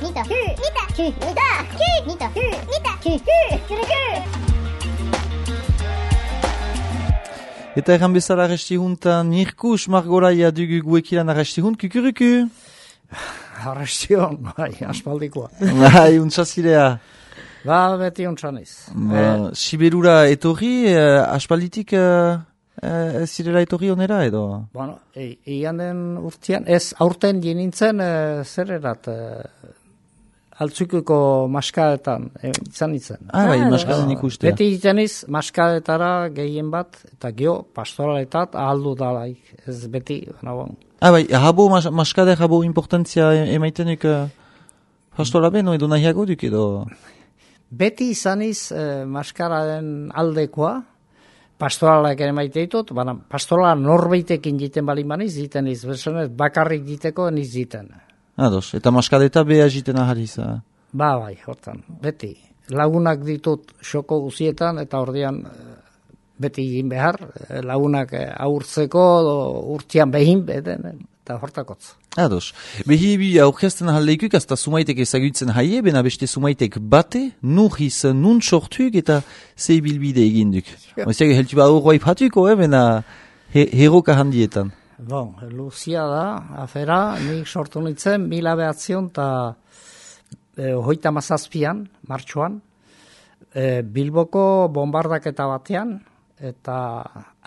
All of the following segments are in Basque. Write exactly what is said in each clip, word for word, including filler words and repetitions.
nita, ku, nita, ku, nita, ku, nita, ku, nita, ku, ku, ku, ku. Eta erran bezala arresti juntan, Mirkus Margoraia dugu guekilan arresti hunt, kukuruku? Arresti hon, bai, aspaldikoa. Bai, untsazirea. Ba, beti untsaniz. Ba, Siberura etorri, eh, aspalditik eh, eh, zirela etorri onera edo? Bueno, e, ian den urtean, ez aurten jenintzen e, zer erat, e, altzukuko maskaetan, e, izan itzen. Ah, bai, maskaden ikustea. Beti izaniz, maskaetara gehien bat, eta geho, pastoraletat ahaldu dalaik, ez beti, baina bon. Ah, bai, habo, mas, maskade habo importantzia emaitenik uh, pastola beno edo nahiago duk edo? Beti izaniz eh, maskararen aldekoa, pastoralak ere maite ditut, baina pastorala norbeitekin jiten balin baniz, jiten iz, berzonez, bakarrik jiteko niz jiten. Ados, eta maskadeta beha jiten ahaliz. Uh. Ba, bai, hortan, beti. Lagunak ditut xoko guzietan, eta ordean beti egin behar, lagunak aurtzeko, urtean behin, beden, eta hortakotz. Ados, behi bi aurkezten ahaldeikuk, azta sumaitek ezagutzen haie, bena beste sumaitek bate, nuhiz nun sortuk eta zei bilbide eginduk. Oziak, heltu ba horroa ipatuko, eh, bena he, heroka handietan. Bon, luzia da, afera, nik sortu nintzen, mila behatzion eta e, hoita mazazpian, martxoan, e, Bilboko bombardaketa batean, eta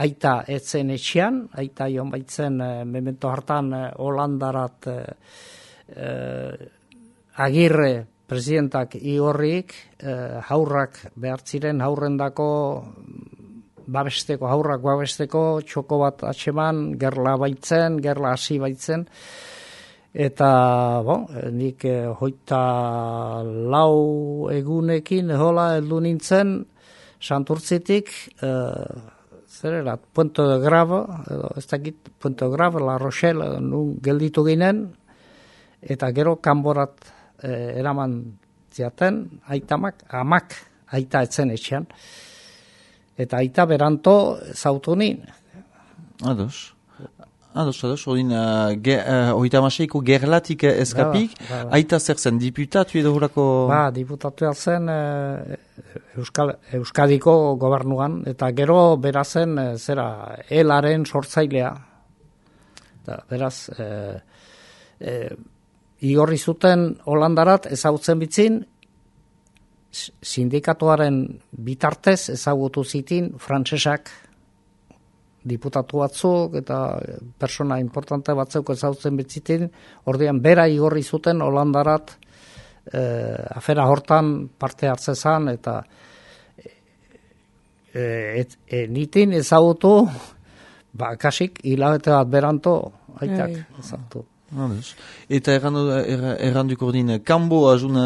aita etzen etxean, aita joan baitzen e, memento hartan e, Holandarat e, e, agirre presidentak igorrik, e, haurrak behartziren haurrendako babesteko, haurrak babesteko, txoko bat atxeman, gerla baitzen, gerla hasi baitzen, eta, bon, nik eh, hoita lau egunekin, hola, heldu nintzen, Santurtzitik, eh, zer erat, Puente de Grave, edo, ez dakit, Puente de Grave, La Rochelle, edo, nun gelditu ginen, eta gero kanborat eh, eraman ziaten, aitamak, amak, aita etzen etxean, eta aita beranto zautu nin. Ados. Ados, ados. Odin, uh, ge, uh, oita maseiko gerlatik eskapik. Ba, ba, ba. Aita zer zen, diputatu edo horako? Ba, diputatu zen uh, Euskal, Euskadiko gobernuan, eta gero berazen uh, zera, elaren sortzailea. Da, beraz, uh, uh, igorri zuten Holandarat ezagutzen bitzin, sindikatuaren bitartez ezagutu zitin frantsesak diputatu batzuk eta persona importante batzuk ezagutzen bitzitin, ordean bera igorri zuten Holandarat eh, afera hortan parte hartzezan eta eh, et, e, nitin ezagutu ba, kasik hilabete bat beranto aitak ezagutu. Eta erranduko ordin, kanbo azun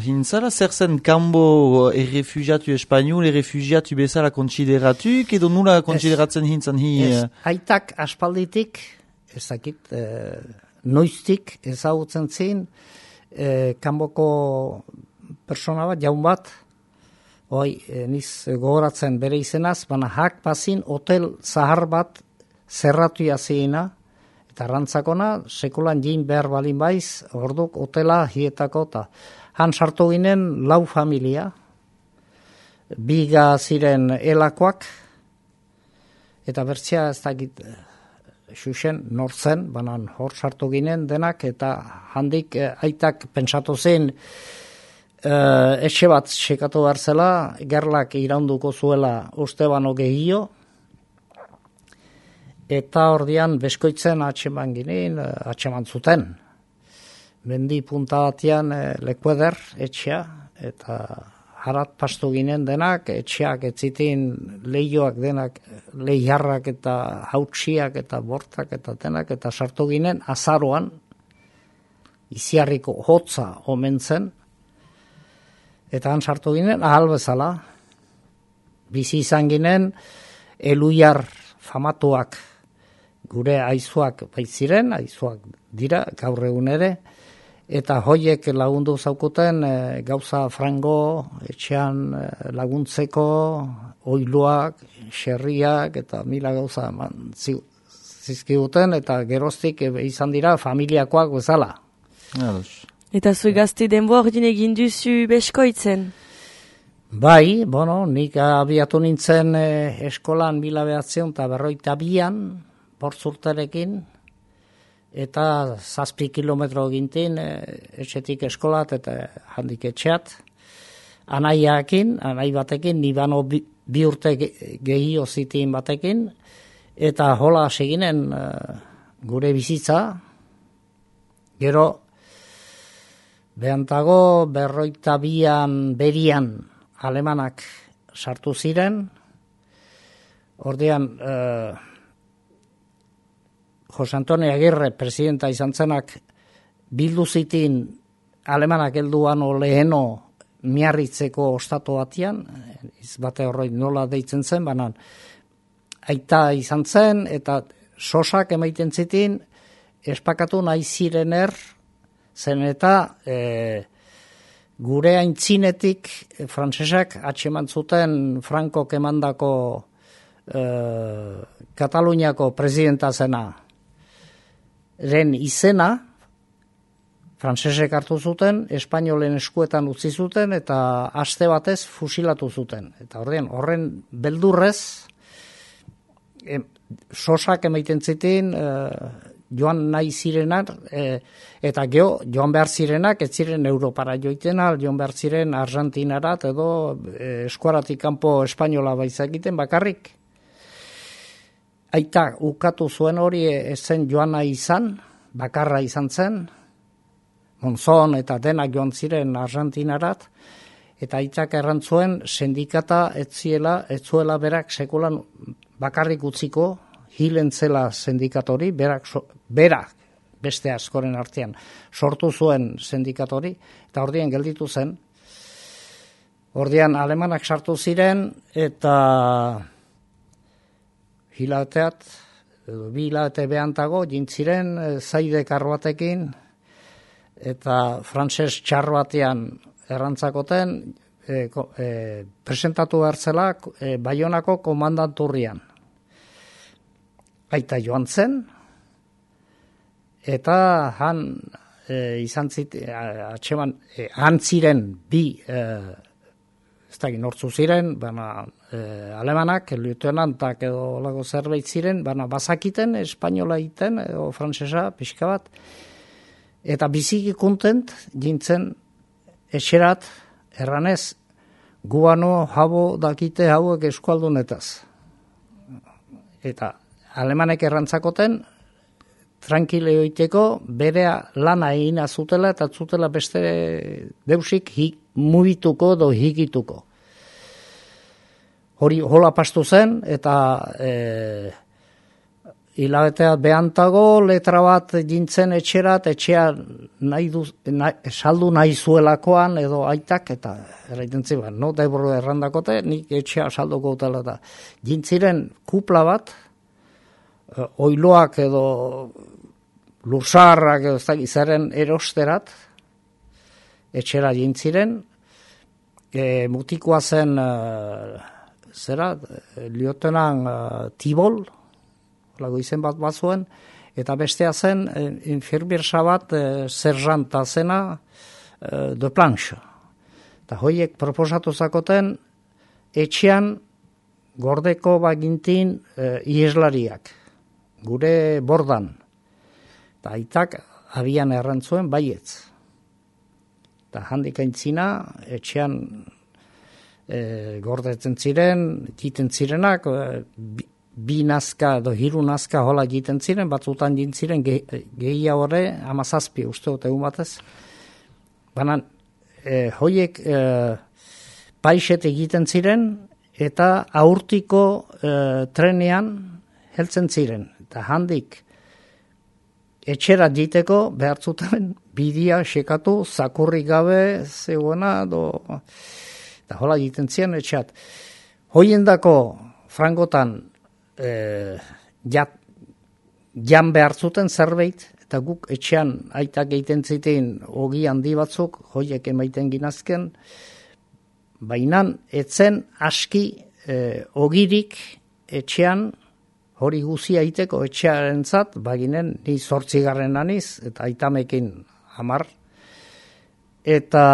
hintzala, zer zen kanbo errefugiatu espanol, errefugiatu bezala konsideratuk, edo nula konsideratzen hintzan hi? Ez, aitak aspalditik, ezakit, e, noiztik ezagutzen zin, e, kanboko persona bat, jaun bat, oi, e, niz gogoratzen bere izenaz, baina hak bazin hotel zahar bat zerratu jazeina, eta rantzakona, sekulan jin behar balin baiz, orduk hotela hietako, eta han sartu ginen lau familia, biga ziren elakoak, eta bertzia ez dakit xuxen nortzen, banan hor sartu ginen denak, eta handik eh, aitak pentsatu zen, eh, etxe bat sekatu behar zela, gerlak iraunduko zuela uste bano gehio, eta ordian beskoitzen atxeman ginen, atxeman zuten. Mendi punta batean e, lekueder etxea, eta harat pastu ginen denak, etxeak etzitin lehioak denak, lehiarrak eta hautsiak eta bortak eta denak, eta sartu ginen azaroan, iziarriko hotza omen zen, eta han sartu ginen ahal bezala, bizi izan ginen, eluiar famatuak, gure aizuak baitziren, aizuak dira, gaur egun ere, eta hoiek lagundu zaukuten e, gauza frango, etxean e, laguntzeko, oiluak, xerriak, eta mila gauza eman zizkiguten, eta geroztik e, izan dira familiakoak bezala. Ados. Eta zui gazte denboa ordin egin duzu beskoitzen? Bai, bueno, nik abiatu nintzen eh, eskolan mila behatzion eta berroita bian, bortzurtarekin, eta zazpi kilometro gintin, eh, etxetik eskolat eta handik etxeat. Anaiakin, anai batekin, nibano bi, bi urte gehio zitin batekin, eta hola seginen eh, gure bizitza, gero, behantago berroita bian berian, alemanak sartu ziren, ordean eh, Jose Antonio Agirre presidenta izan zenak bildu zitin alemanak helduan leheno miarritzeko ostatu batian, izbate horroi nola deitzen zen, banan aita izan zen, eta sosak emaiten zitin espakatu nahi zirener, zen eta eh, gure aintzinetik e, frantsesak atxeman zuten Frankok emandako e, Kataluniako presidenta zena ren izena frantsesek hartu zuten, espainolen eskuetan utzi zuten eta aste batez fusilatu zuten. Eta horren, horren beldurrez e, sosak emaiten zitin e, joan nahi zirenak, e, eta geho, joan behar zirenak, ez ziren Europara joitena, joan behar ziren Argentinarat edo e, eskuaratik kanpo espainola baizakiten bakarrik. Aita, ukatu zuen hori ez zen joan nahi izan, bakarra izan zen, Monzon eta denak joan ziren Argentinarat, eta aitak errantzuen sindikata ez ziela, ez zuela berak sekulan bakarrik utziko, hilen zela sindikatori, berak, so, berak beste askoren artean sortu zuen sindikatori, eta ordian gelditu zen. Ordian alemanak sartu ziren, eta hilabeteat, edo bi hilabete behantago, jintziren zaide karbatekin, eta frantses txar batean errantzakoten, e, e, presentatu behar zela e, Baionako komandanturrian. Aita joan zen, eta han e, izan zit, atxeman, e, han ziren bi, e, ez da nortzu ziren, baina e, alemanak, lieutenantak edo lago zerbait ziren, baina bazakiten, espainola egiten, edo frantsesa, pixka bat, eta biziki kontent jintzen etxerat, erranez, guano habo dakite hauek eskualdunetaz. Eta alemanek errantzakoten, tranquile oiteko, berea lana egina zutela eta zutela beste deusik hi, mugituko edo higituko. Hori hola pastu zen, eta e, hilabetea behantago letra bat jintzen etxerat, etxea nahi du, nahi, saldu nahi zuelakoan edo aitak, eta erraiten ziban, no, daiburu errandakote, nik etxea salduko utela da. Jintziren kupla bat, oiloak edo lursarrak edo zaren erosterat, etxera jintziren, e, mutikoa zen, e, zera, liotenan e, Tibol, lago izen bat bat zuen, eta bestea zen, e, infirmiersa bat, e, serzanta zena, e, de planche. Eta hoiek proposatu zakoten, etxean gordeko bagintin e, ieslariak. Gure bordan. Eta aitak abian errantzuen baietz. Eta handik aintzina, etxean e, gordetzen ziren, jiten zirenak, e, bi, bi nazka edo hiru nazka hola jiten ziren, batzutan jintziren ge, gehia horre, amazazpi uste dut egun batez. Baina, e, hoiek e, paixet egiten ziren, eta aurtiko e, trenean heltzen ziren. Eta handik etxera jiteko behartzuten bidia sekatu, zakurrik gabe, zeuena, do, eta hola jiten ziren etxeat. Hoiendako frangotan e, jat, jan behartzuten zerbait, eta guk etxean aitak egiten zitein ogi handi batzuk, hoiek emaiten ginazken, bainan etzen aski e, ogirik etxean hori guzia iteko etxearen zat, baginen ni zortzigarren aniz, eta aitamekin hamar, eta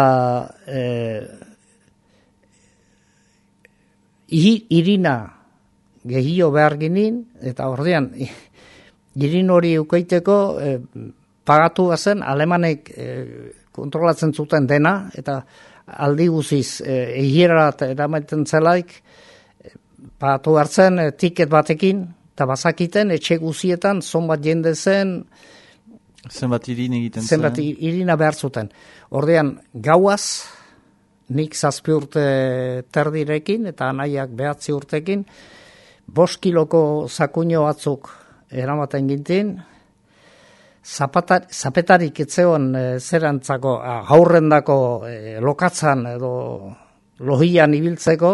eh, irina gehio behar ginin, eta ordean, irin hori ukeiteko eh, pagatu bazen, alemanek eh, kontrolatzen zuten dena, eta aldi guziz eh, egirat eramaiten zelaik, eh, pagatu hartzen eh, tiket batekin, eta bazakiten etxe guzietan zonbat jende zen, zenbat irin egiten zen. Zenbat irina behar zuten. Ordean, gauaz, nik zazpi urte terdirekin, eta anaiak behatzi urtekin, bost kiloko zakuño batzuk eramaten gintin, zapatar, zapetarik etzeon e, zerantzako, haurrendako e, lokatzan edo lohian ibiltzeko,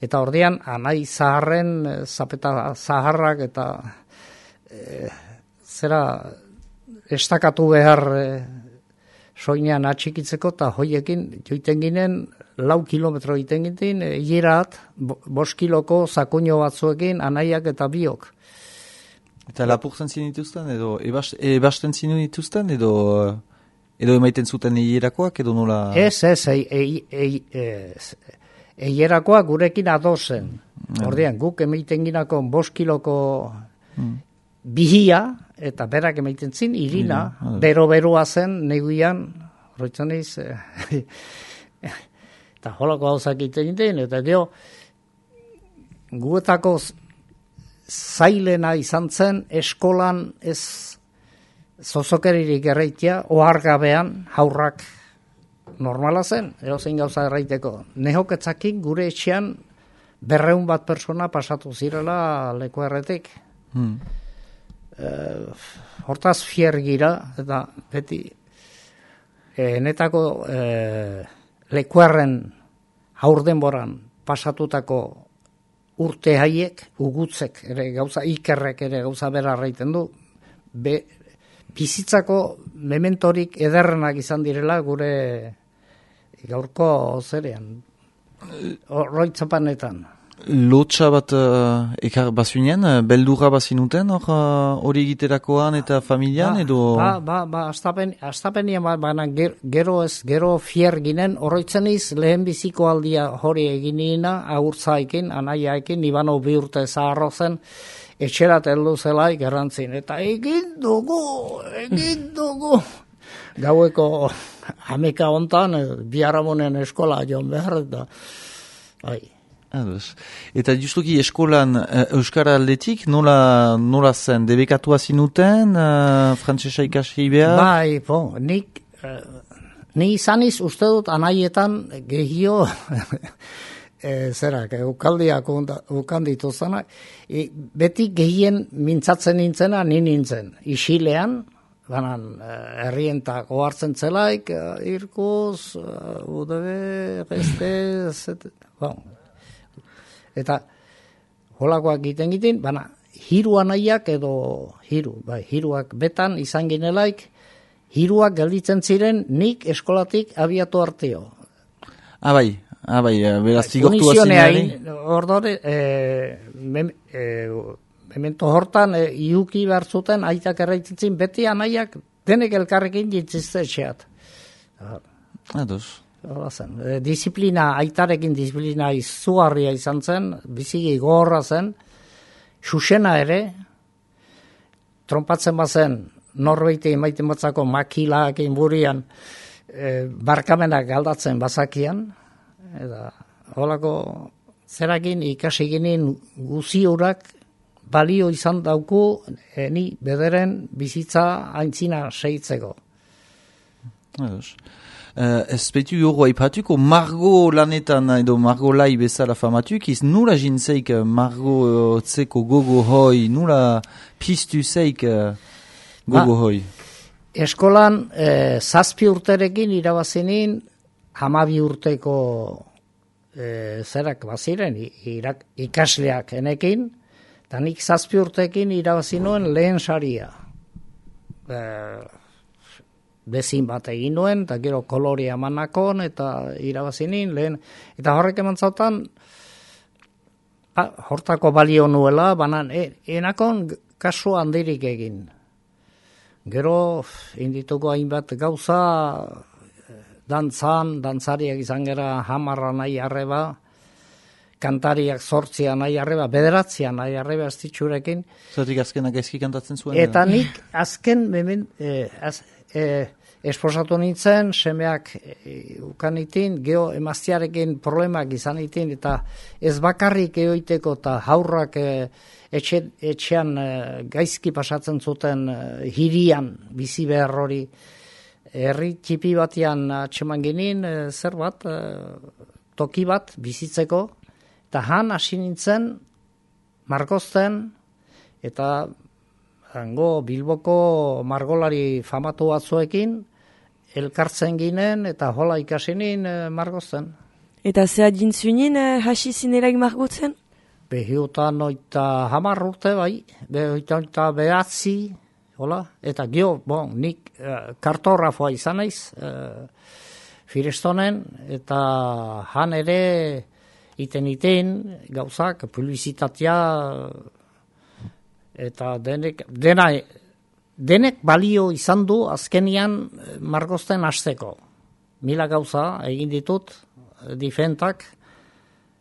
eta ordean anai zaharren e, zapeta zaharrak eta e, zera estakatu behar e, soinean atxikitzeko, eta hoiekin joiten ginen lau kilometro egiten gintin, hilerat, bost kiloko zakuño batzuekin anaiak eta biok. Eta lapurtzen zinituzten, edo ebast, ebasten zinituzten, edo edo emaiten zuten hierakoak, edo nola? Ez, ez, hierakoak gurekin adozen. Ordean, guk emaiten ginako bost kiloko hmm. bihia, eta berak emaiten zin, irina, mm, bero-beroa zen, neguian, horretzen eiz, eta holako hauzak egiten, eta dio, guetako zailena izan zen, eskolan ez zozokeririk erreitia, ohargabean haurrak normala zen, erozein gauza erraiteko. Nehoketzakin gure etxean berreun bat persona pasatu zirela leku erretik. Hmm. Uh, hortaz fier gira, eta beti eh, netako eh, lekuarren aurdenboran pasatutako urte haiek, ugutzek, ere gauza ikerrek ere gauza bera arraiten du, be, bizitzako mementorik ederrenak izan direla gure gaurko zerean, roitzapanetan. Lotxa bat uh, ekar bazuinen, beldurra bazinuten hori uh, egiterakoan eta familian, ba, edo? Ba, ba, ba, astapen, astapenian, ba, baina ger, gero ez, gero fier ginen, horretzen iz, lehen biziko aldia hori eginina, agurtzaikin, anaiaekin, Ibano bi urte zaharro zen, etxerat heldu zelaik errantzin, eta egin dugu, egin dugu. Gaueko hameka hontan, biharamunen eskola joan behar, eta, bai. Ados. Eta justuki eskolan uh, Euskara aldetik, nola, nola zen, debekatua zinuten, uh, frantsesa ikasi behar? Bai, po, nik, uh, ni izaniz uste dut anaietan gehio, e, zerak, ukaldiak ukanditu zanak, e, beti gehien mintzatzen nintzena, ni nintzen, isilean, banan, herrientak ohartzen zelaik, uh, irkuz, uh, U D B, gestez, bon, eta holakoak egiten egiten, baina hiru anaiak edo hiru, bai, hiruak betan izan ginelaik, hiruak gelditzen ziren nik eskolatik abiatu arteo. Ah, bai, ah, bai, beraz zigortu azinari. Ordore, e, mem, e, memento hortan, e, iuki behar zuten, aitak erraitzen beti anaiak denek elkarrekin jintziztetxeat. Ados. E, disiplina, aitarekin disiplina izugarria izan zen, biziki gogorra zen, Xuxena ere, trompatzen bazen, norbeite emaiten batzako makilak inburian, e, barkamenak galdatzen bazakian, eta holako zerakin ikasi ginen guziurak balio izan dauku, e, ni bederen bizitza aintzina seitzeko. Ados. Uh, ez betu hori aipatuko, Margo lanetan edo Margo lai bezala famatuk, iz nula jintzeik Margo uh, tzeko gogo hoi, nula piztu zeik uh, gogo ba, hoi? Eskolan eh, zazpi urterekin irabazinin hamabi urteko eh, zerak baziren irak, ikasleak enekin, eta nik zazpi urtekin irabazinuen lehen saria. Eh, Bezin bat egin nuen, eta gero kolorea manakon, eta irabazinin, lehen, eta horrek eman zautan, ba, hortako balio nuela, banan, e, enakon kasu handirik egin. Gero, indituko hainbat gauza, dantzan, dantzariak izan gera hamarra nahi arreba, kantariak zortzia nahi arreba, bederatzia nahi arreba astitxurekin. Zertik azkenak gaizki kantatzen zuen? Eta nik azken, memen, eh, az, eh, esposatu nintzen, semeak e, ukanitin, geho emaztiarekin problemak izan itin, eta ez bakarrik eoiteko eta haurrak e, etxe, etxean e, gaizki pasatzen zuten e, hirian bizi behar hori. Herri txipi batian atxeman ginen, e, zer bat, e, toki bat bizitzeko, eta han hasi nintzen, margozten, eta hango Bilboko margolari famatu batzuekin, elkartzen ginen eta hola ikasinin e, margozten. Eta zea dintzunin eh, hasi zinelaik margotzen? Behiutan oita hamar urte bai, behiutan oita behatzi, hola, eta gio, bon, nik e, kartografoa izan naiz, e, Firestonen, eta han ere iten iten gauzak, publizitatea, eta denek, dena, denek balio izan du azkenian margozten hasteko. Mila gauza egin ditut, difentak,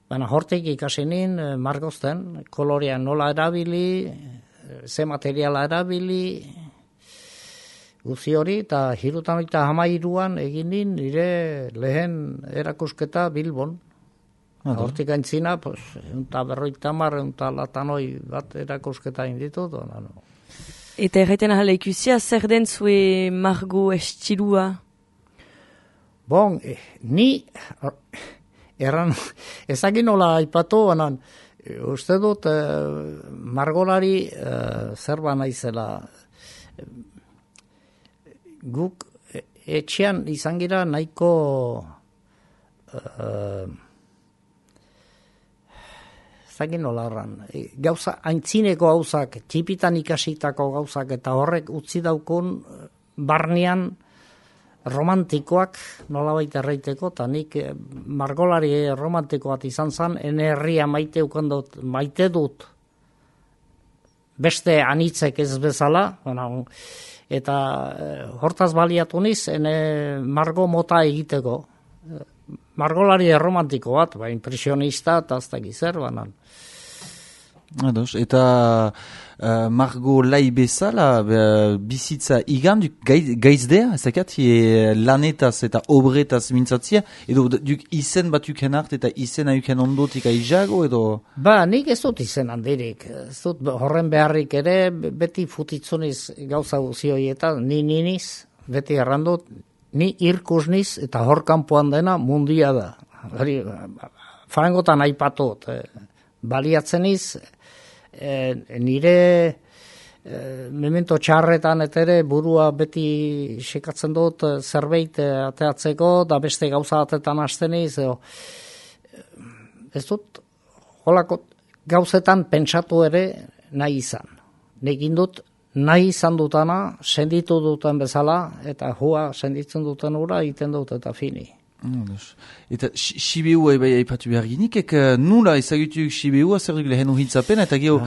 baina hortik ikasenin margozten, kolorea nola erabili, ze materiala erabili, guzi hori, eta hirutan eta hamairuan egin din nire lehen erakusketa Bilbon. Hortik aintzina, pues, unta berroita mar, unta latanoi bat erakusketa inditut. No, no. Eta erraiten ahala ikusia, zer den zue margo estilua? Bon, eh, ni, erran, ezagin nola aipatu, banan, uste dut, eh, margolari eh, zerba naizela. Guk eh, etxean izan gira nahiko eh, zagin nola erran. Gauza, aintzineko gauzak, txipitan ikasitako gauzak, eta horrek utzi daukun barnean romantikoak nolabait erraiteko, eta nik margolari romantiko bat izan zen, ene herria maite ukandot, maite dut beste anitzek ez bezala, bueno, eta hortaz baliatu niz, ene margo mota egiteko. Margolari romantiko bat, ba, impresionista, eta azta gizer, banan. Ados, eta uh, margo lai bezala, uh, bizitza iganduk gaiz, gaizdea, ezakat, e, lanetaz eta obretaz mintzatzia, edo duk izen bat uken hart eta izena uken ondotik aizago, edo? Ba, nik ez dut izen handirik, ez dut horren beharrik ere, beti futitzuniz gauza guzioietan, ni niniz, beti errandut, ni irkusniz eta hor kanpoan dena mundia da. Hori, farangotan aipatut, eh, baliatzeniz, eh, nire eh, memento txarretan eta ere burua beti sekatzen dut eh, zerbait eh, ateatzeko, da beste gauza batetan hasteniz, eh, ez dut, holako gauzetan pentsatu ere nahi izan. Nekin dut, nahi izan dutana, senditu duten bezala, eta hua senditzen duten ura, egiten dut eta fini. Eta Sibeua bai aipatu behar ginik, ek nula ezagutuk Sibeua zer duk lehen uhitzapen, eta geho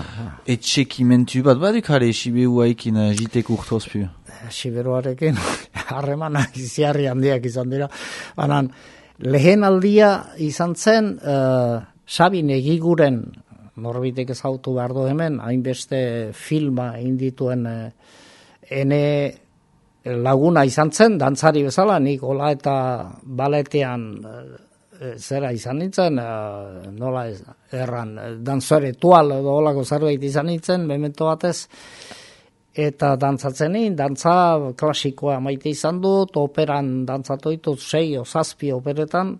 etxekimentu bat baduk jare Sibeua ekin jitek urtozpu? Siberuarekin harremanak iziarri handiak izan dira. Banan, lehen aldia izan zen, uh, Sabin egiguren, norbitek ezautu behar du hemen, hainbeste filma indituen eh, ene laguna izan zen, dantzari bezala, nik hola eta baletean eh, zera izan nintzen, eh, nola ez, erran, dantzare tual edo holako zerbait izan nintzen, memento batez, eta dantzatzen nien, dantza klasikoa maite izan dut, operan dantzatu ditut, sei o zazpi operetan.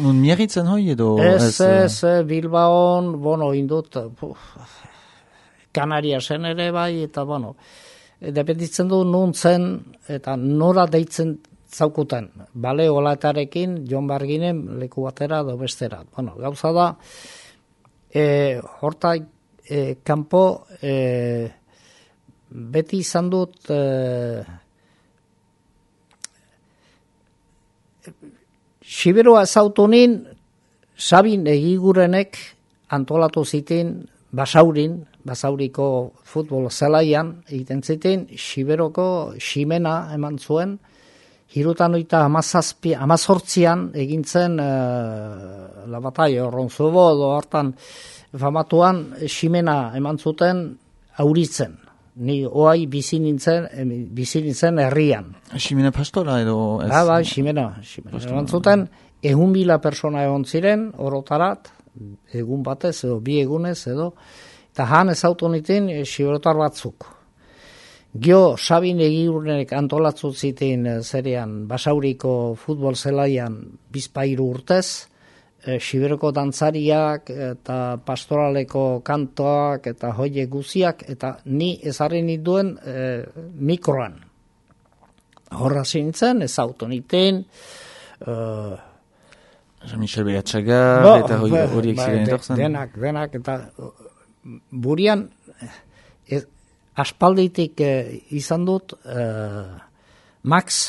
Nun miagitzen hoi edo? Ez, ez, Bilbaon, bueno, indut, Kanariasen ere bai, eta, bueno, dependitzen du nuntzen, eta nora deitzen zaukuten. Bale, olatarekin, Jon Barginen leku batera edo bestera. Bueno, gauza da, e, horta, e, kanpo, e, beti izan dut eh, Siberua ezautu nin, Sabin egigurenek antolatu zitin Basaurin, Basauriko futbol zelaian egiten zitin, Siberoko ximena eman zuen, hirutan oita amazazpi, amazortzian egintzen uh, la batalla Ronzobo do hartan famatuan ximena eman zuten auritzen. Ni oai bizi nintzen, bizi nintzen herrian. Ximena pastora edo... Ez... Ba, ba, ximena. ximena. Eman zuten, egun mila persona egon ziren, orotarat, egun batez, edo bi egunez, edo, eta han ez autonitin xiberotar batzuk. Gio, Sabin Egirunek antolatzu ziten zerean Basauriko futbol zelaian bizpairu urtez, e, Xiberoko dantzariak eta pastoraleko kantoak eta hoie guziak, eta ni ezarri nituen e, mikroan. Horra zintzen, ez autoniten, e, Michel Beatxaga, eta horiek ziren etorzen. Denak, denak, eta burian, ez, aspalditik eh, izan dut eh, Max,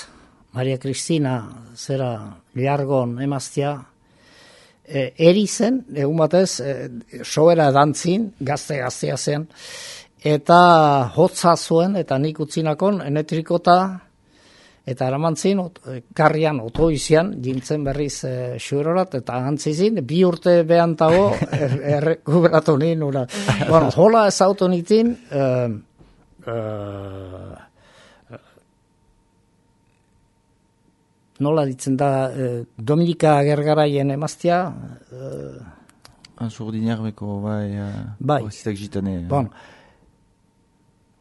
Maria Cristina, zera liargon emaztia, eh, eri zen, egun batez, eh, soera dantzin, gazte-gaztea zen, eta hotza zuen, eta nik utzinakon, enetrikota, eta eramantzin, ot, karrian, otoizian, jintzen berriz e, xuerorat, eta antzizin, bi urte behantago, errekuberatu nien, ura. Bueno, hola ez autonitin, eh, eh, nola ditzen da, eh, Dominika Gergaraien emaztia, eh, Azurdinarbeko, bai, bai. Ozitak jitane. Bon,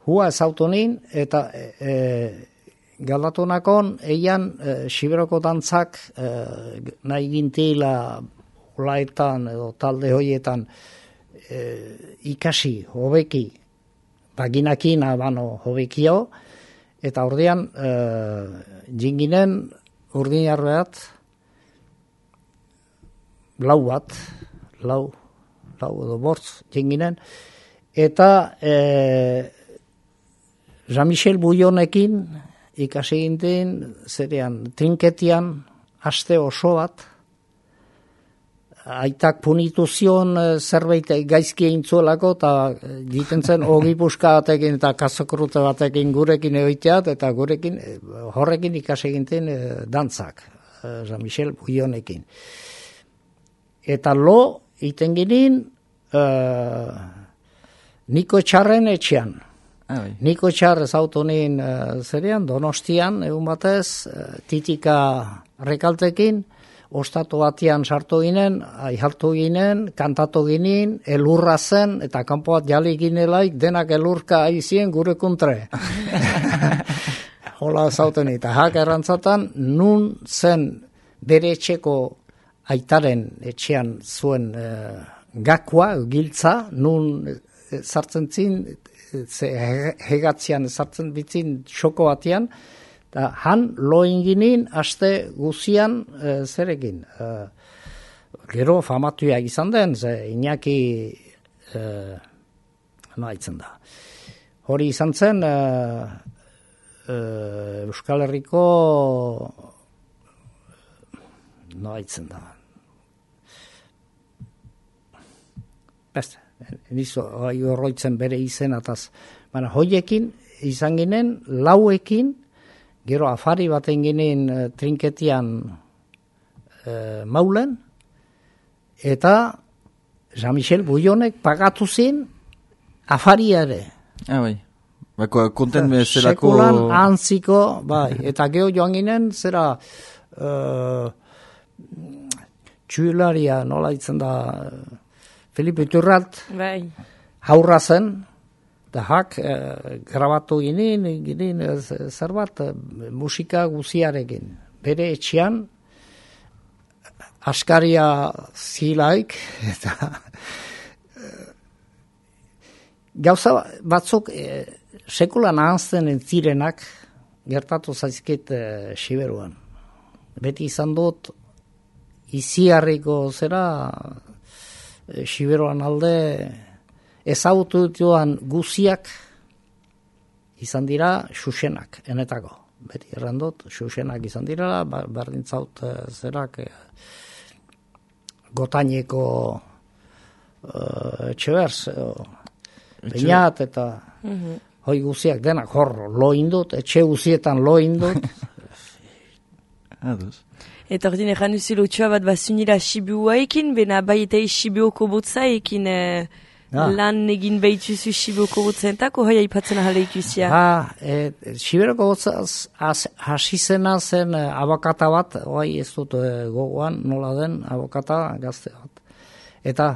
hua ez autonin, eta eh, Galdatonakon, eian, e, Xiberoko dantzak e, nahi gintila ulaetan edo talde hoietan e, ikasi, hobeki, baginakina bano hobekio, eta ordean e, jinginen urdinarbeat lau bat, lau, lau edo bortz jinginen, eta e, Jean-Michel Bouillonekin ikasi ginten, zerean, trinketian, aste oso bat, aitak punitu zion zerbait gaizki egin zuelako, eta diten zen ogipuska batekin eta kazokrute batekin gurekin egoiteat, eta gurekin, horrekin ikasi ginten dantzak, Jean-Michel Bouillonekin. Eta lo, iten ginen, uh, Niko Txarren etxean. Ah, bai. Niko Txar ez autonin uh, zerean, Donostian, egun batez, uh, titika rekaltekin, ostatu batian sartu ginen, aihartu ginen, kantatu ginen, elurra zen, eta kanpo bat jali ginelaik, denak elurka aizien gure kontre. Hola ez autonin, eta hak errantzatan, nun zen bere etxeko aitaren etxean zuen uh, gakua, giltza, nun uh, sartzen zin, ze hegatzean sartzen bitzin xoko batean, eta han loin ginen aste guzian e, zerekin. E, gero famatuak izan den, ze Iñaki e, no haitzen da. Hori izan zen e, e, Euskal Herriko no haitzen da. Beste. Nizo, horroitzen bere izen ataz. Baina, hoiekin, izan ginen, lauekin, gero afari baten ginen e, trinketian e, maulen, eta Jean-Michel Bouillonek pagatu zin afari ere. Ah, bai. Bako, konten bezalako... Sekulan antziko, bai. Eta geho joan ginen, zera... Uh, txuilaria, nola ditzen da... Felipe Iturralt, bai. Haurra zen, da hak e, grabatu ginen, ginen zer bat, musika guziarekin. Bere etxean, askaria zilaik, eta e, gauza batzuk e, sekulan ahazten entzirenak gertatu zaizkit e, Siberuan. Beti izan dut, iziarriko zera... Siberoan alde ezagutu dituan guziak izan dira xuxenak, enetako. Beti errandot, xuxenak izan dira, berdintzaut zerak gotaineko uh, etxeberz, Beñat eta hoi guziak denak hor lo indut, etxe guzietan lo indut, Ados. Eta ordin erran duzu lotxoa bat bazunira Sibiuaekin, bena bai eta Sibioko botzaekin eh, Ah. lan egin behituzu Sibioko botzentako, hoi aipatzen ahal ikuzia. Ha, e, Siberoko botzaz hasi zena zen eh, abokata bat, oai ez dut eh, gogoan nola den abokata gazte bat. Eta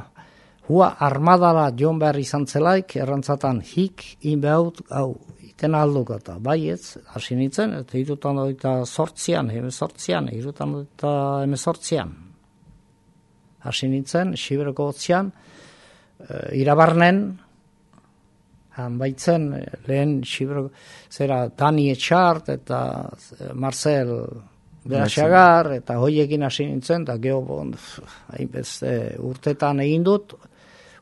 hua armadara joan behar izan zelaik, errantzatan hik inbehaut, hau, iten alduko eta baietz, hasi nintzen, eta irutan doita sortzian, heme sortzian, irutan doita heme sortzian. Hasi nintzen, Siberoko botzian, Uh, irabarnen, han baitzen, lehen Siberoko, zera Dani Etxart eta Marcel Beraxagar, eta hoiekin hasi nintzen, eta geho, bon, hainbeste urtetan egin dut,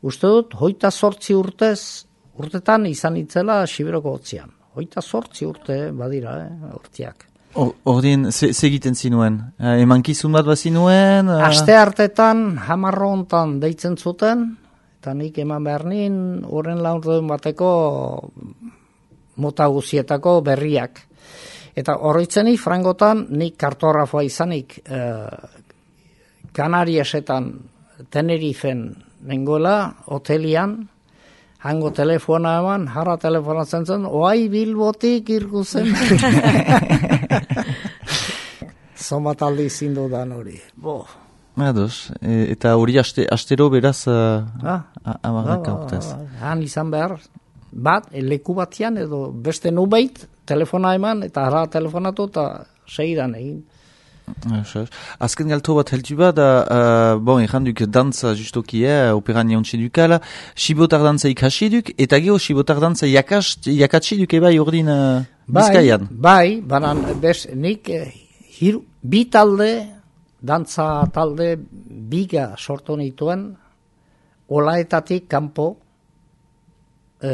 uste dut, hoita sortzi urtez, urtetan izan itzela Siberoko hotzian. Hoita sortzi urte, badira, eh, urtiak. Ordin, ze egiten zinuen? Uh, emankizun bat bazinuen? Uh... Aste hartetan, hamarro hontan deitzen zuten, eta nik eman behar nien, horren laurden bateko mota guzietako berriak. Eta horretzeni, frangotan, nik kartografoa izanik, eh, Kanariesetan, Tenerifen nengoela, hotelian, hango telefona eman, jarra telefonatzen zen, oai Bilbotik irguzen. Zomat aldi zindu dan hori. Bo. Ados, e, eta hori aste, astero beraz uh, ah, amarraka urtez. Han izan behar, bat, leku batian edo beste nubeit, telefona eman, eta harra telefonatu eta segidan egin. Azken galto bat heltu bat, da, uh, bon, erranduk dantza justoki, eh, operan jauntxe dukala, sibotar dantza ikasi duk, eta geho sibotar dantza jakatsi duk ebai ordin uh, Bizkaian. Bai, banan, bez, nik eh, hiru, bi talde, dantza talde biga sortu nituen, olaetatik kanpo, e,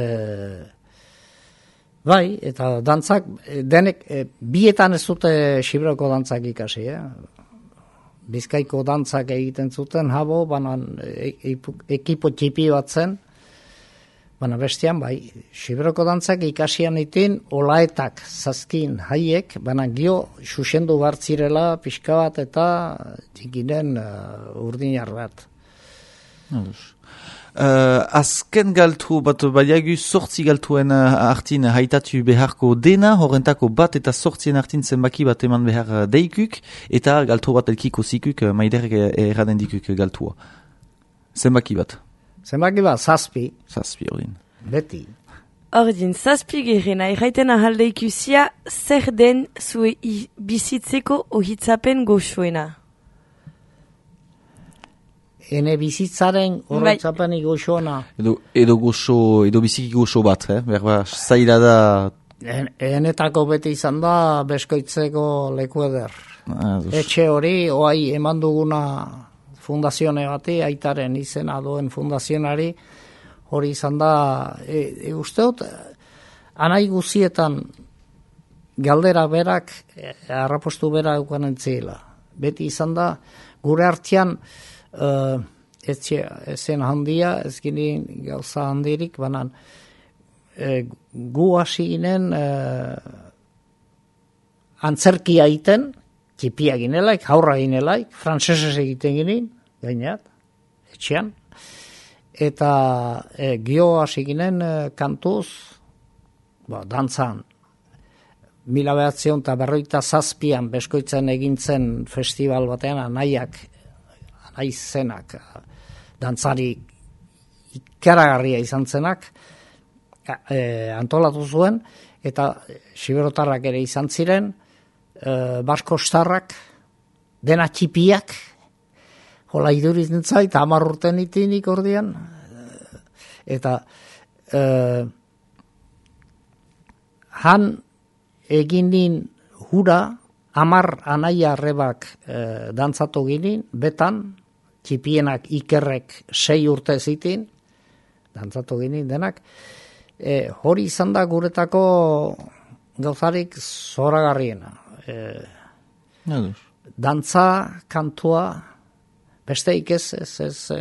bai, eta dantzak, denek, e, bietan ez dute Siberoko dantzak ikasi, eh? Bizkaiko dantzak egiten zuten, habo, banan e, e, ekipo txipi bat zen, baina bestian, bai, Siberoko dantzak ikasian itin, olaetak, zazkin, haiek, baina gio, xuxendu bartzirela, pixka bat eta txikinen uh, urdinar bat. Uh, azken galtu bat baiagu sortzi galtuen uh, artin haitatu beharko dena, horrentako bat eta sortzien artin zenbaki bat eman behar deikuk, eta galtu bat elkiko zikuk, uh, maiderek erraden dikuk galtua. Zenbaki bat. Zenbaki bat, zazpi. Zazpi, ordin. Beti. Ordin, zazpi gerena, erraiten ahalde ikusia, zer den zue bizitzeko ohitzapen goxoena? Ene bizitzaren horretzapen goxoena. Edo, edo goxo, edo biziki goxo bat, eh? Berba, zaila da... En, enetako beti izan da, beskoitzeko leku eder. Ah, Etxe hori, oai eman duguna... fundazione bati, aitaren izena duen fundazionari, hori izan da, e, e, usteot, anai guzietan galdera berak, e, arrapostu bera eukanen zila. Beti izan da, gure artean, e, etxe, ezen handia, ez ginen gauza handirik, banan, e, gu hasi ginen e, antzerkia iten, txipiak ginelaik, haurra ginelaik, frantsesez egiten ginen, gainat, etxean, eta e, gio hasi ginen e, kantuz, ba, dantzan, mila behatzion eta berroita zazpian beskoitzen egintzen festival batean, anaiak, anaizenak, dantzari ikaragarria izan zenak, e, antolatu zuen, eta siberotarrak ere izan ziren, Uh, Basko Starrak, dena txipiak, hola iduritzen zait, hamar urten itinik ordian, uh, eta uh, han eginin hura, hamar anaia arrebak uh, dantzatu ginin, betan, txipienak ikerrek sei urte zitin, dantzatu ginin denak, e, hori izan da guretako gauzarik zoragarriena. Eh, dantza, kantua, besteik ez, ez, ez e,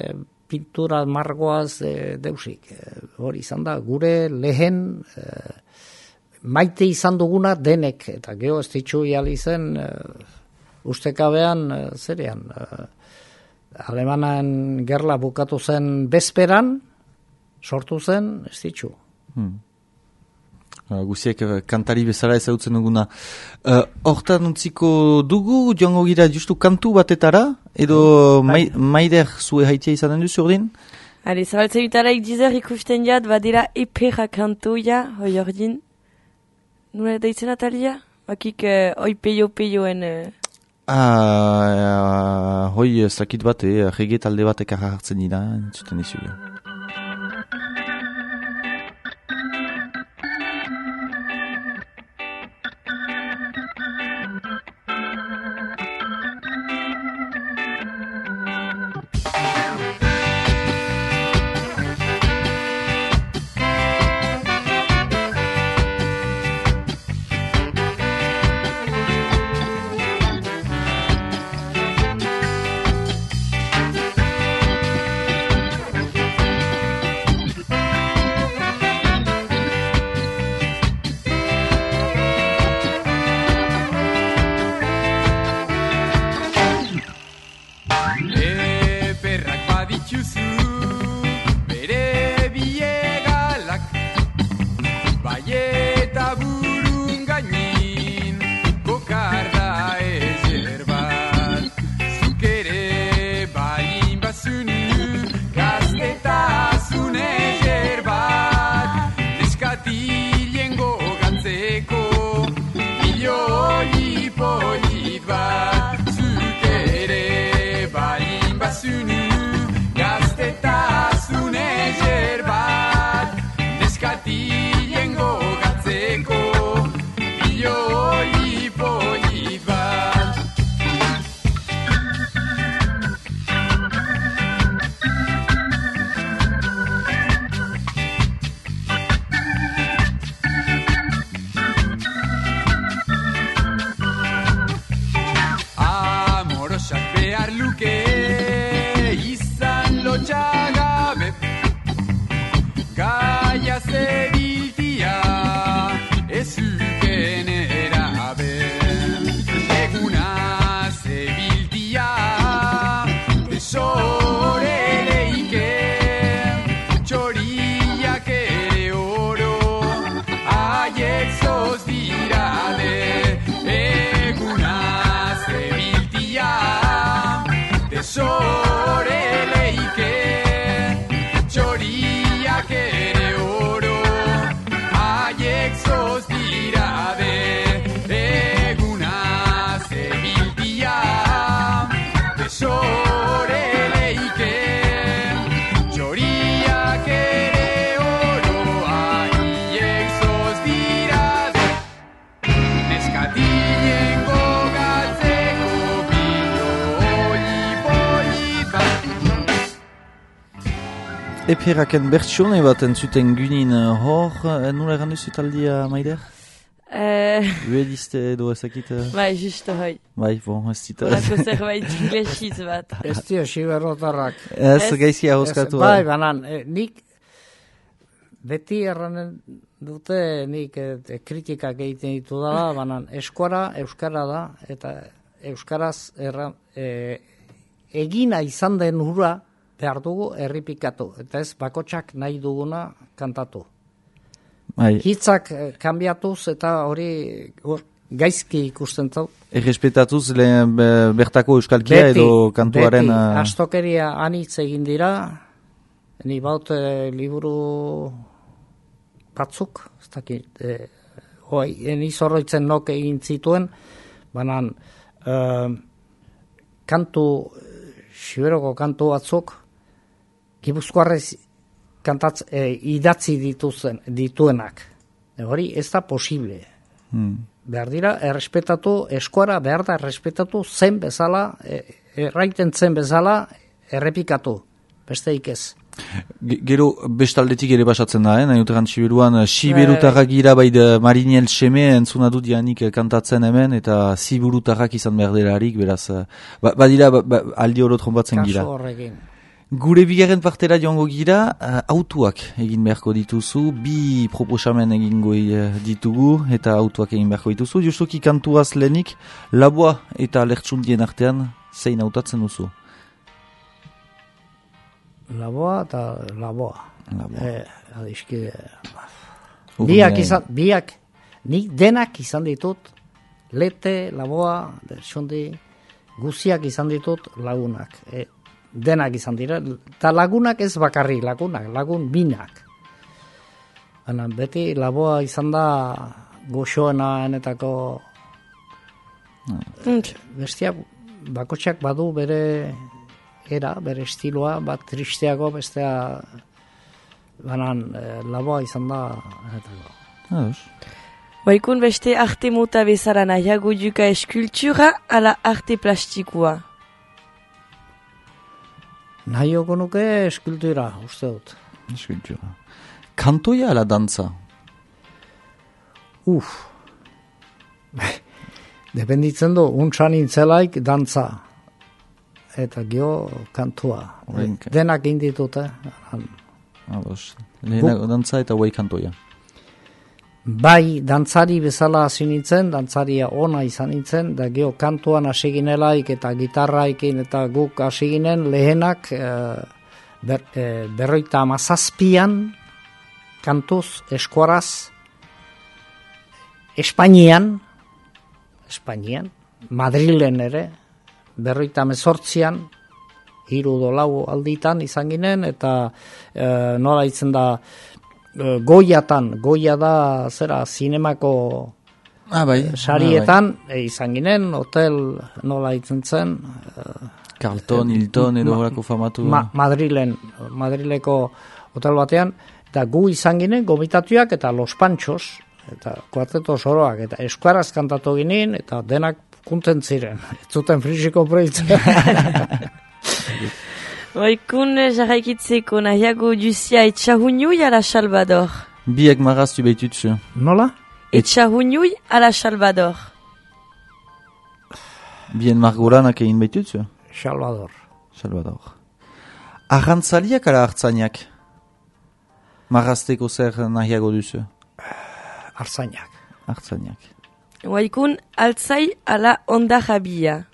pintura margoaz e, deusik. E, hori izan da, gure lehen e, maite izan duguna denek, eta geho ez ditxu jali zen, e, ustekabean, uh, zerean, uh, Alemanan gerla bukatu zen bezperan, sortu zen, ez ditxu. Hmm. Uh, guziek uh, kantari bezala ezagutzen duguna. Uh, hortan utziko dugu, joango gira justu kantu batetara, edo hmm. mai, maider zue haitia izanen duzu ordin? Hale, zabaltze bitaraik dizer ikusten jat, badira epera kantoia, hoi ordin. Nula daitzen atalia? Bakik uh, oi peio-peioen... Uh... Ah, uh, hoi zakit bat, eh, rege talde bat ekarra hartzen dira, entzuten izugu. Eperaken bertsione bat entzuten gynin hor, nula egan duzu taldia, Maider? Uh, Uedizte edo ezakit? Bai, justo hoi. Bai, bon, ez zita. Horako zerbait inglesiz bat. Ez dio, siberrotarrak. Ez, gaizki ahoskatu. Bai, banan, eh, nik beti erranen dute nik eh, kritikak egiten ditu dela, banan, eskora, euskara da, eta euskaraz erran, eh, egina izan den hura, behar dugu erripikatu, eta ez bakotsak nahi duguna kantatu. Bai. Hitzak kanbiatuz eta hori or, gaizki ikusten zau. Errespetatuz lehen bertako euskalkia beti, edo kantuaren... Beti, astokeria anitz egin dira, ni baut e, liburu batzuk, ez dakit, e, hoi, ni zorroitzen nok egin zituen, banan e, kantu, Siberoko kantu batzuk, Gipuzkoarrez kantatz, e, idatzi dituzen, dituenak. E, hori ez da posible. Hmm. Behar dira, errespetatu, eskuara behar da errespetatu zen bezala, e, erraiten zen bezala, errepikatu. Besteik ez. Gero bestaldetik ere basatzen da, eh? Nahi uteran Siberuan, Siberutarrak gira bai de Mariniel Seme entzuna dut janik kantatzen hemen, eta Siberutarrak izan behar delarik, beraz, ba, badira ba, ba, aldi oro trombatzen gira. Kaso horrekin. Gure bigarren partera joango gira, uh, autuak egin beharko dituzu, bi proposamen egingo uh, ditugu eta autuak egin beharko dituzu. Justuki kantuaz lehenik, laboa eta lertxundien artean zein hautatzen duzu? Laboa eta laboa. Laboa. Eh, adizki, Urme- biak izan, biak, nik denak izan ditut, lete, laboa, lertxundi, guziak izan ditut lagunak. E, denak izan dira, eta lagunak ez bakarri, lagunak, lagun binak. Baina beti laboa izan da goxoena enetako bestiak, bakotxak badu bere era, bere estiloa, bat tristeago, bestea banan e, laboa izan da enetako. Ados. Baikun beste arte mota bezala nahiago duka eskultura ala arte plastikua. Nahioko nuke eskultura, uste dut. Eskultura. Kantoia ala dantza? Uf. Dependitzen du, untsan intzelaik dantza. Eta gio kantua. Orain- Denak inditut, eh? Ados. Lehenago dantza eta guai kantoia. Bai, dantzari bezala hasi nintzen, dantzaria ona izan nintzen, da gio kantuan hasi ginelaik eta gitarraikin eta guk hasi ginen lehenak eh, ber, eh, berroita amazazpian kantuz, eskuaraz, Espainian, Espainian, Madrilen ere, berroita mezortzian, hiru dolau alditan izan ginen, eta eh, nola itzen da, eh, Goiatan, Goia da, zera, zinemako Ah, bai. sarietan, e, izan ginen, hotel nola itzen zen, Ah, bai. Carlton, Hilton edo horako famatu. Ma, Madrilen, Madrileko hotel batean, eta gu izan ginen gomitatuak eta Los Panchos, eta kuarteto soroak, eta eskuaraz kantatu ginen, eta denak kunten ziren, ez zuten frisiko proitzen. Baikun jarraikitzeko nahiago duzia etxahuniui ala Salvador. Biek maraztu behitutzu. Nola? Etxahuniui ala Salvador. Bien margoranak egin behitutzu. Salvador. Salvador. Arrantzaliak ala hartzainak? Marazteko zer nahiago duzu? Arzainak. Hartzainak. Baikun altzai ala onda jabia.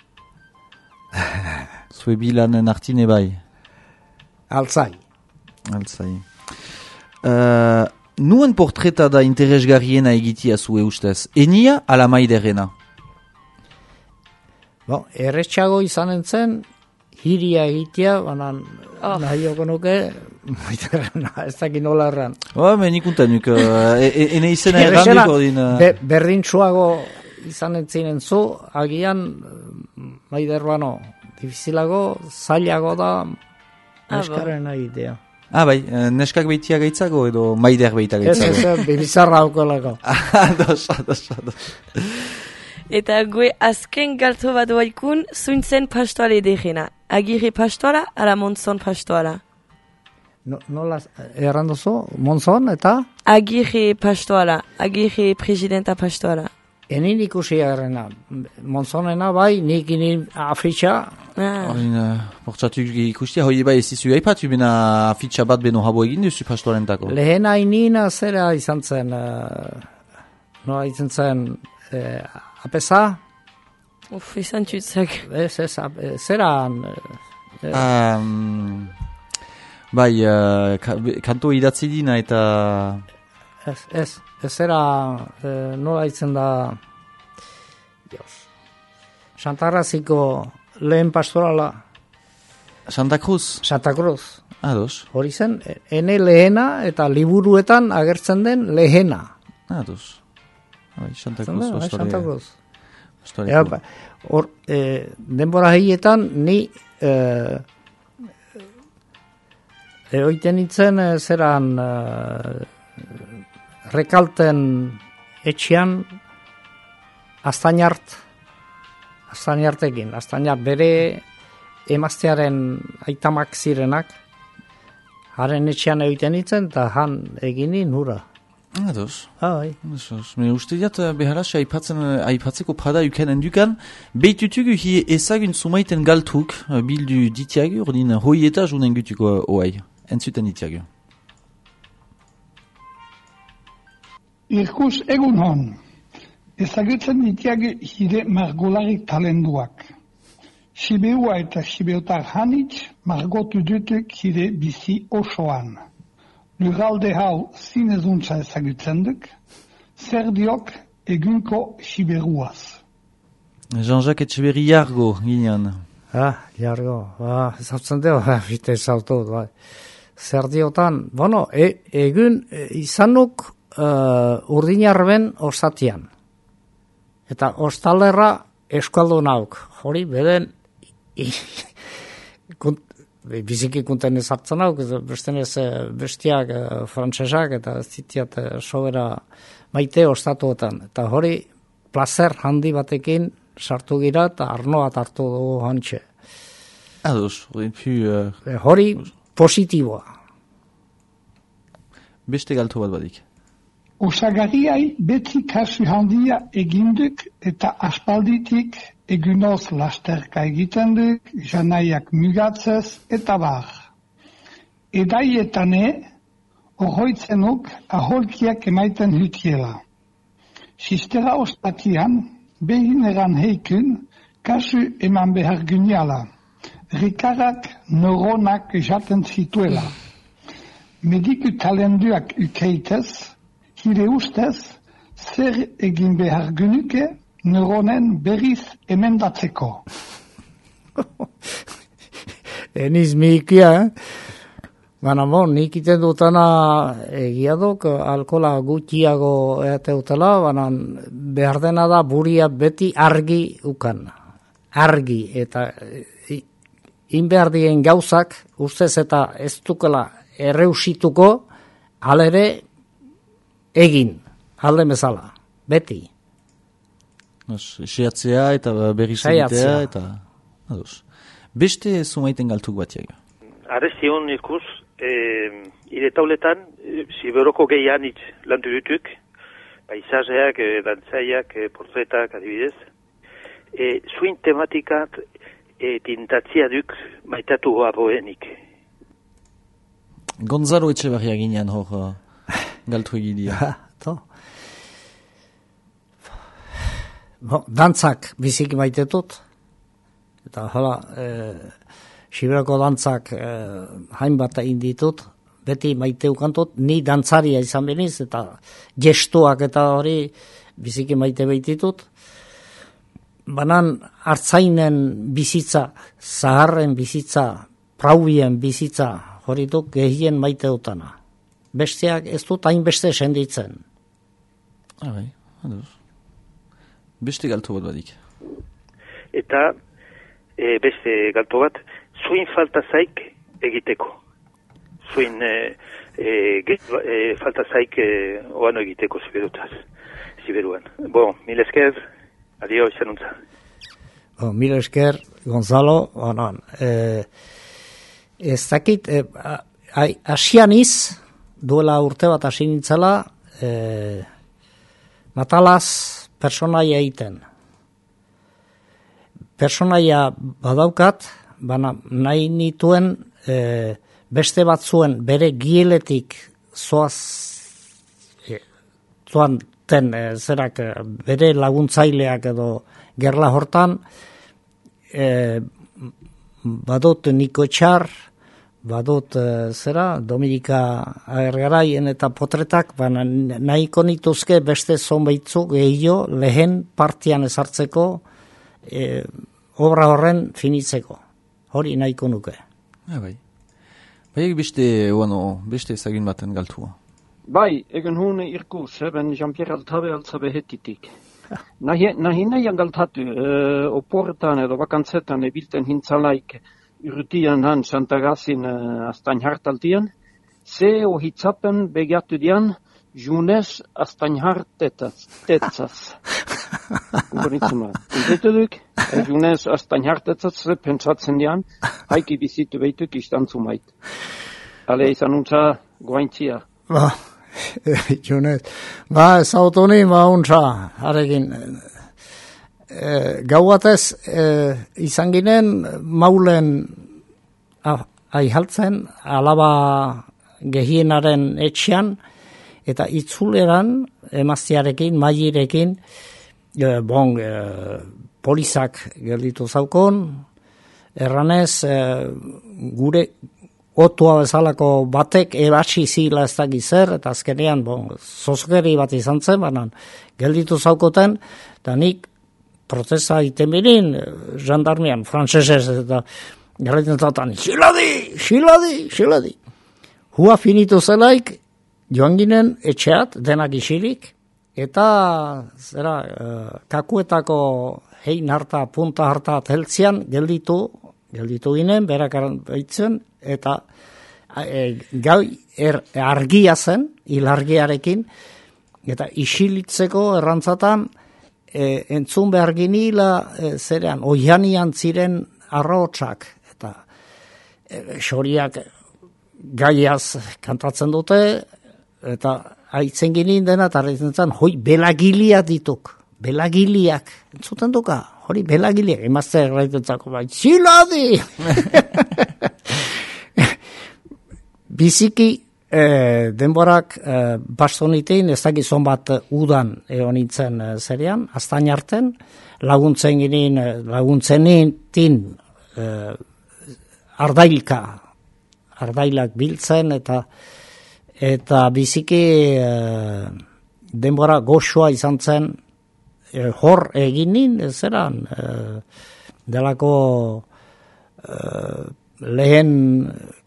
Zue bilanen artine bai. Altzai. Altzai. Uh, nuen portreta da interesgarriena egitia zue ustez? Enia ala maiderena? Bon, erretxago izan entzen, hiria egitea, banan Oh. nahioko nuke, maiterena, ez dakit nola erran. Oh, men ikuntan nuk, uh, e, e, ene izena Errexena, errandiko din... Uh, be, berdintsuago izan entzinen zu, agian, maider bano, difizilago, zailago da, neskaren egitea. ah, bai, eh, neskak behitia gaitzago edo maider behita Ez, gaitzago? ez, bizarra haukolako. Ados, ados, ados. Eta gue azken galto bat baikun zuintzen pastoale edegena. Agirre pastoala ala monzon pastoala. No, nola errandozu, Monzon eta Agirre pastoala, agirre presidenta pastoala. enin ikusi errena. Monzonena bai, nik inin afitxa, Ah. Horin, uh, portzatuk ikustia, hoi bai ez izu aipatu bena afitxa bat beno habo egin duzu pastorentako. lehena inina zera izan zen, uh, nola izan zen, uh, apesa, Uf, izan txutzak. ez, ez, ap, zeran, uh, Um, bai, uh, ka, kanto idatzi dina eta... ez, ez, ez zera, uh, nola izan da, Dios, Santarraziko lehen pastorala, Santa Cruz? Santa Cruz. Ados, Hori zen, ene lehena eta liburuetan agertzen den lehena. ados. Bai, Santa Zan Cruz, da, bai, pastorea- Santa Cruz. pastoreko. Ea, ba, hor, e, denbora heietan ni e, eoiten itzen e, zeran e, rekalten etxean Astainart, Astainartekin, Astainart bere emaztearen aitamak zirenak, haren etxean egiten itzen, eta han egini nura. Ados. Hai. Ados. Me uste diat beharras aipatzen, aipatzeko pada ukanen dukan, behitutugu hi ezagun sumaiten galtuk bildu ditiagu, ordin hoi eta junen gutuko oai. Entzuten ditiagu. Irkus egun hon, ezagutzen ditiagu hire margolarik talenduak. Sibeua eta sibeotar hanitz margotu dutuk hire bizi osoan. Lurralde hau zinezuntza ezagutzen duk, zer diok egunko siberuaz. Jean-Jacques Etxeberri jargo ginean. Ah, jargo, ah, ezautzen deo, bite ezautu, bai. Zer diotan, bueno, e, egun e, izanuk uh, urdinarben ostatian. Eta ostalerra eskualdu nauk, hori beden kunt, biziki kunten ezartzen nauk, besten ez bestiak frantsesak eta zitiat sobera maite ostatuetan. Eta hori placer handi batekin sartu gira eta arnoa hartu dugu hantxe. Ados, hori pu... Uh, hori positiboa. Beste galtu bat badik. Osagariai beti kasu handia eginduk eta aspalditik egunoz lasterka egiten duk, janaiak mugatzez eta bar. Edaietane, ohoitzenuk aholkiak emaiten hutiela. Sistera ostatian, behin eran heikun, kasu eman behar gyniala. Rikarak neuronak jaten zituela. Mediku talenduak ukeitez, hire ustez, zer egin behar gynuke neuronen berriz emendatzeko. Eniz miikia, eh? Baina bon, nik iten dutana egia duk, alkola gutxiago eateutela, baina behar dena da buria beti argi ukan. Argi, eta inbehar dien gauzak, ustez eta ez dukela erreusituko, alere egin, alde bezala, beti. Seatzea eta berriz egitea eta... Ados. Beste sumaiten galtuk bat jaga. Arrezion ikus, e, ire tauletan, e, siberoko gehian itz lantu dutuk, paisajeak, e, dantzaiak, e, portretak adibidez. E, zuin tematikat e, tintatzia duk maitatu hoa boenik. Gonzalo Etxeberria ginean hor uh, galtu egidia. To. Bo, dantzak biziki maitetut. Eta hala, e, Siberoko dantzak e, hainbat egin ditut. Beti maiteukantut, ni dantzaria izan beniz, eta gestuak eta hori biziki maite behititut. Banan hartzainen bizitza, zaharren bizitza, praubien bizitza, hori duk gehien maite dutana. Besteak ez dut hainbeste senditzen. Abai, ados. Beste galtu bat badik. Eta e, beste galtu bat, zuin falta zaik egiteko. Zuin e, e, e, falta zaik e, oano egiteko ziberutaz, ziberuan. Bon, mil esker, adio, xanuntza. Bon, mil esker, Gonzalo, onan. Eh, ez dakit, eh, asianiz, duela urte bat hasi nintzela, eh, matalaz personaia egiten. Personaia badaukat, baina nahi nituen eh, beste batzuen bere gieletik zoaz, eh, zoan ten, eh, zerak eh, bere laguntzaileak edo gerla hortan, eh, badut Niko Etxar, badut uh, zera, Dominika Agergaraien eta potretak, baina nahiko nituzke beste zonbaitzu gehiago lehen partian ezartzeko e, obra horren finitzeko. Hori nahiko nuke. Ja, bai. Bai, beste, bueno, beste ezagin baten galtua. Bai, egen hune irkus, ben Jean-Pierre Altabe altzabe hetitik. Nahi nahian galtatu, uh, oportan edo bakantzetan ebilten hintzalaik urtian han Santagazin uh, astain hartaltian, ze ohitzapen begiatu dian, junes astain hartetzaz. Goritzuma. Intetuduk, junes astain hartetzaz, pentsatzen dian, haiki bizitu behituk istantzumait. Ale izan untza goaintzia. Ba, Junez, ba, ezautu ni, ba, untza, harekin, e, gau batez, e, izan ginen, maulen ah, aihaltzen, alaba gehienaren etxean, eta itzuleran, emaztiarekin, mailerekin, e, bon, e, polizak gelditu zaukon, erranez, e, gure otua bezalako batek ebasi zila ez dakiz zer, eta azkenean, bon, zozgeri bat izan zen, banan, gelditu zaukoten, eta nik protesta iten birin, jandarmian, frantzesez, eta garretzen zautan, xiladi, xiladi, xiladi. Hua finitu zelaik, joan ginen etxeat, denak isilik, eta, zera, kakuetako hein harta, punta harta teltzian, gelditu, gelditu ginen, berak baitzen, eta e, gau er, argia zen, ilargiarekin, eta isilitzeko errantzatan, e, entzun behar ginila, e, zerean, oianian ziren arrotsak, eta e, xoriak gaiaz kantatzen dute, eta haitzen ginen dena, eta haitzen zen, hoi, belagilia dituk, belagiliak, entzuten duka, hori belagiliak, emazte erraitentzako, bai, txiladi! Biziki eh, denborak eh, bastonitein, ez dakizon bat udan egon nintzen eh, zerean, aztain arten, laguntzen ginen, laguntzen nintin eh, ardailka, ardailak biltzen, eta eta biziki eh, denbora goxoa izan zen, eh, hor egin nin, zeran, eh, delako eh, lehen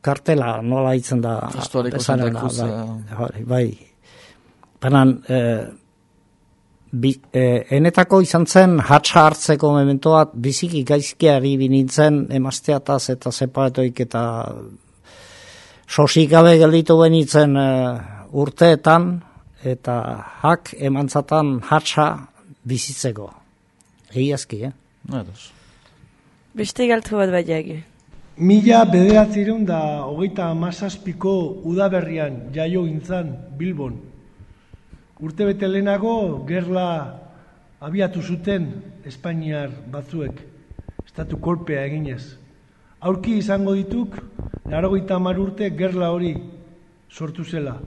kartela nola hitzen da Historiko Santa Cruz, bai, bai. Banan eh, bi, eh, enetako izan zen hatsa hartzeko mementoat biziki gaizkiari binintzen emazteataz eta separatoik eta sosik gabe gelditu benitzen eh, urteetan eta hak emantzatan hatsa bizitzeko. Egiazki, eh? Ados. Beste galtu bat baiagi. Mila bederatzireun da hogeita hamazazpiko udaberrian jaio gintzan Bilbon. Urte bete lehenago gerla abiatu zuten Espainiar batzuek, estatu kolpea eginez. Aurki izango dituk, laurogeita hamar urte gerla hori sortu zela.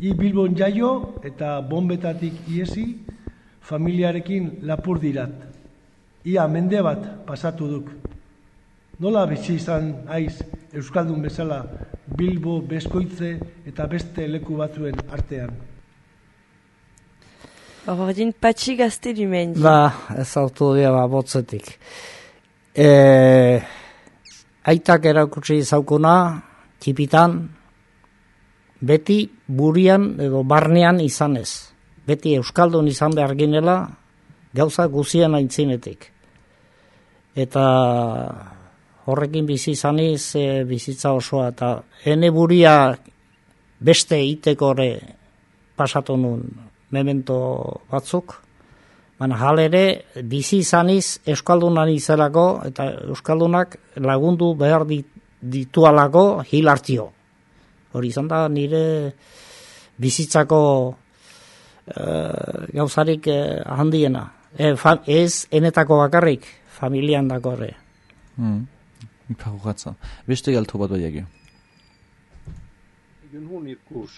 I Bilbon jaio eta bombetatik iesi familiarekin lapur dirat. Ia mende bat pasatu duk. Nola bizi izan aiz Euskaldun bezala Bilbo, Beskoitze eta beste leku batzuen artean? Ordin patxi gazte dumen. Ba, ez autu dira ba, botzetik. E, aitak erakutsi zaukuna, txipitan, beti burian edo barnean izanez. Beti Euskaldun izan behar ginela, gauza guzien aintzinetik. Eta horrekin bizi izaniz e, bizitza osoa, eta ene buria beste itekore pasatu nun memento batzuk, baina halere bizi izaniz Euskaldunan izelako, eta Euskaldunak lagundu behar ditualako hilartio. Hori izan da nire bizitzako e, gauzarik e, handiena. E, fa, ez enetako bakarrik, familian dakorre. Mm. Parugatza. Beste galtu bat baiagi. Egun hun irkus.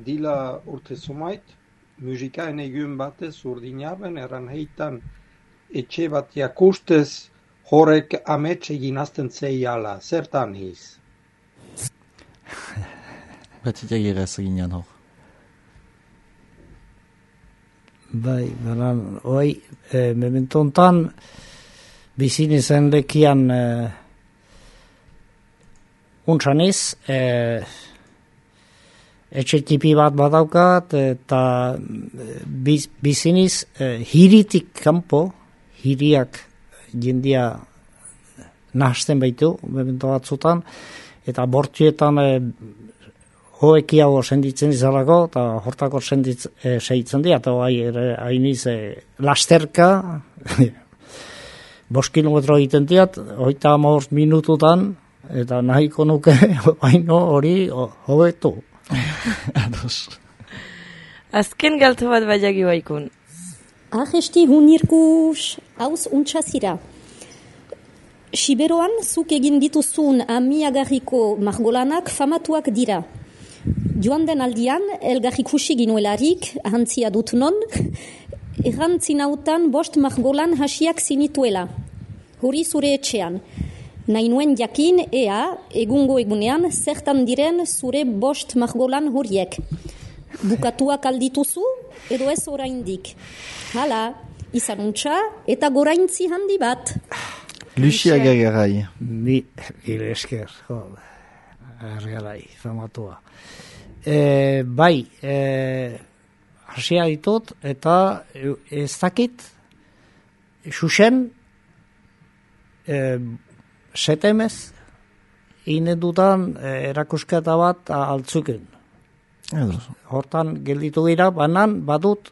Dila urte sumait, musikaen egun batez urdinaben eran heitan etxe bat jakustez horrek amets egin azten zeiala. Zertan hiz? Bat itagira ez eginean hor. Bai, banan, oi, e, memento hontan bizin izen lekian e, untsaniz, e, etxe tipi bat badaukat, eta biz, biziniz e, hiritik kanpo, hiriak jendia nahazten baitu, memento batzutan, eta bortietan e, hoekiago senditzen izalako, eta hortako senditz, e, segitzen dira, eta hainiz e, lasterka, bost kilometro egiten diat, hogeita hamabost minututan, eta nahiko nuke baino hori hobetu. Ados. Azken galto bat baiagi baikun. Ahesti hunirkus hauz untxazira. Siberoan zuk egin dituzun amiagarriko margolanak famatuak dira. Joan den aldian, elgarrikusi ginuelarik, ahantzia dut non, errantzinautan bost margolan hasiak zinituela. Hori zure etxean. Nahi nuen jakin, ea, egungo egunean, zertan diren zure bost margolan horiek. Bukatuak aldituzu, edo ez oraindik. Hala, izan untxa eta goraintzi handi bat. Lucia Gagarai. Ni, gire esker, jo, errealai, famatua. E, bai, e, hasia ditut, eta ez dakit, xuxen, e, setemez, inedutan e, erakusketa bat altzuken. Hortan gelditu dira, banan badut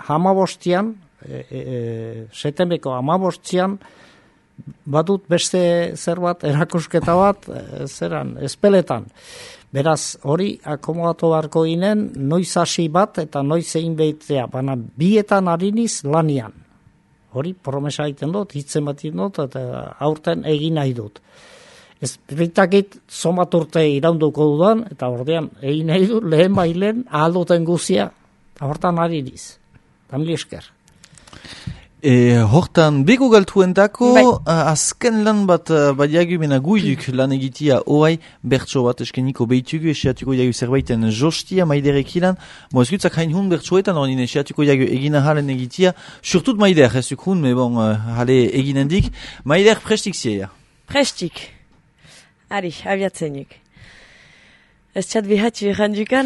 hamabostian, e, e, setemeko hamabostian, badut beste zer bat erakusketa bat, e, zeran, espeletan. Beraz, hori akomodatu beharko ginen, noiz hasi bat eta noiz egin behitzea, baina bietan hariniz lanian. Hori promesa egiten dut, hitzen bat egiten dut, eta aurten egin nahi dut. Ez bitakit zomat urte iraunduko dudan, eta ordean egin nahi dut, lehen bailen ahalduten guzia, hortan hariniz. Tamili esker. E, hortan, beko galtuentako, bai. Azken lan bat badiagu mena guiduk lan egitia oai, bertso bat eskeniko behitugu, esiatuko jagu zerbaiten jostia, maiderek ilan, mo ez gutzak hain hun bertsoetan, orin esiatuko jagu egina halen egitia, surtut maider, ez duk hun, me bon, hale eginendik, maider prestik zieia. Prestik. Ari, abiatzenik. Ez txat bihatxu errandukan,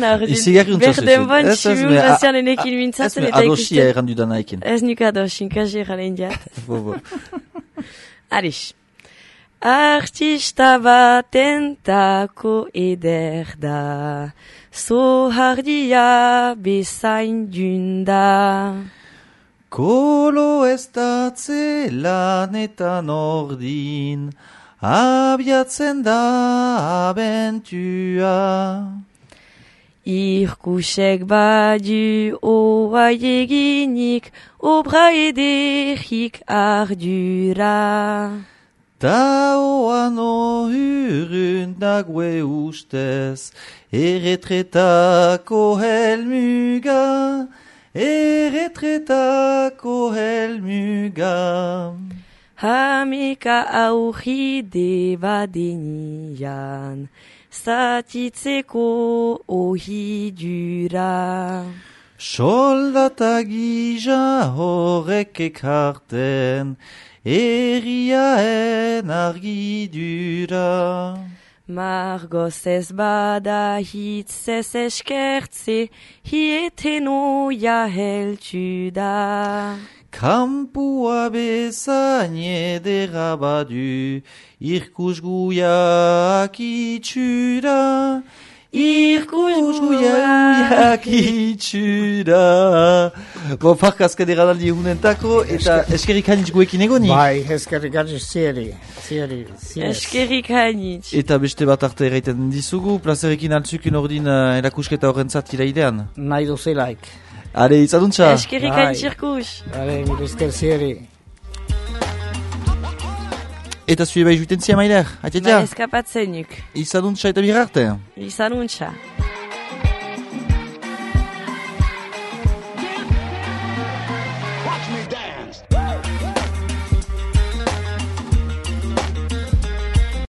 berden ban txibun bazian enekin mintzatzen eta ikusten. Ez me adosia errandudan haikin. Ez nik adosin, kazi erranen jat. Arix. Artista batentako eder da, zohardia bezain dunda. Kolo ez datze lanetan ordin, abiatzen da abentua. Irkusek badu oai eginik, obra ederik ardura. Ta oan ohurun nague ustez, erretretako helmuga, erretretako helmuga. Hamika aurride badenian, zatitzeko ohidura. Soldata gija horrek ekarten, erriaen argidura. Margoz ez bada hitzez eskertze, hietenoia heltsu da. Kampua bezain edera badu, irkusguiak itxura, irkusguiak itxura. Bo, parkazka deraldi egunentako, eta eskerrik hanitz guekin egoni? Bai, eskerrik hanitz zieri, zieri, zieri. Eskerrik hanitz. Eta beste bat arte erraiten dizugu, plazerekin altzukin ordin uh, erakusketa horrentzat iraidean? Nahi duzelaik. Are, izaduntza? Eskerrik hain zirkus. Are, mire esker zieri. Eta zue bai juiten zia mailer, atietia? Bai eskapatzen nik. Izaduntza eta birarte? Izaduntza.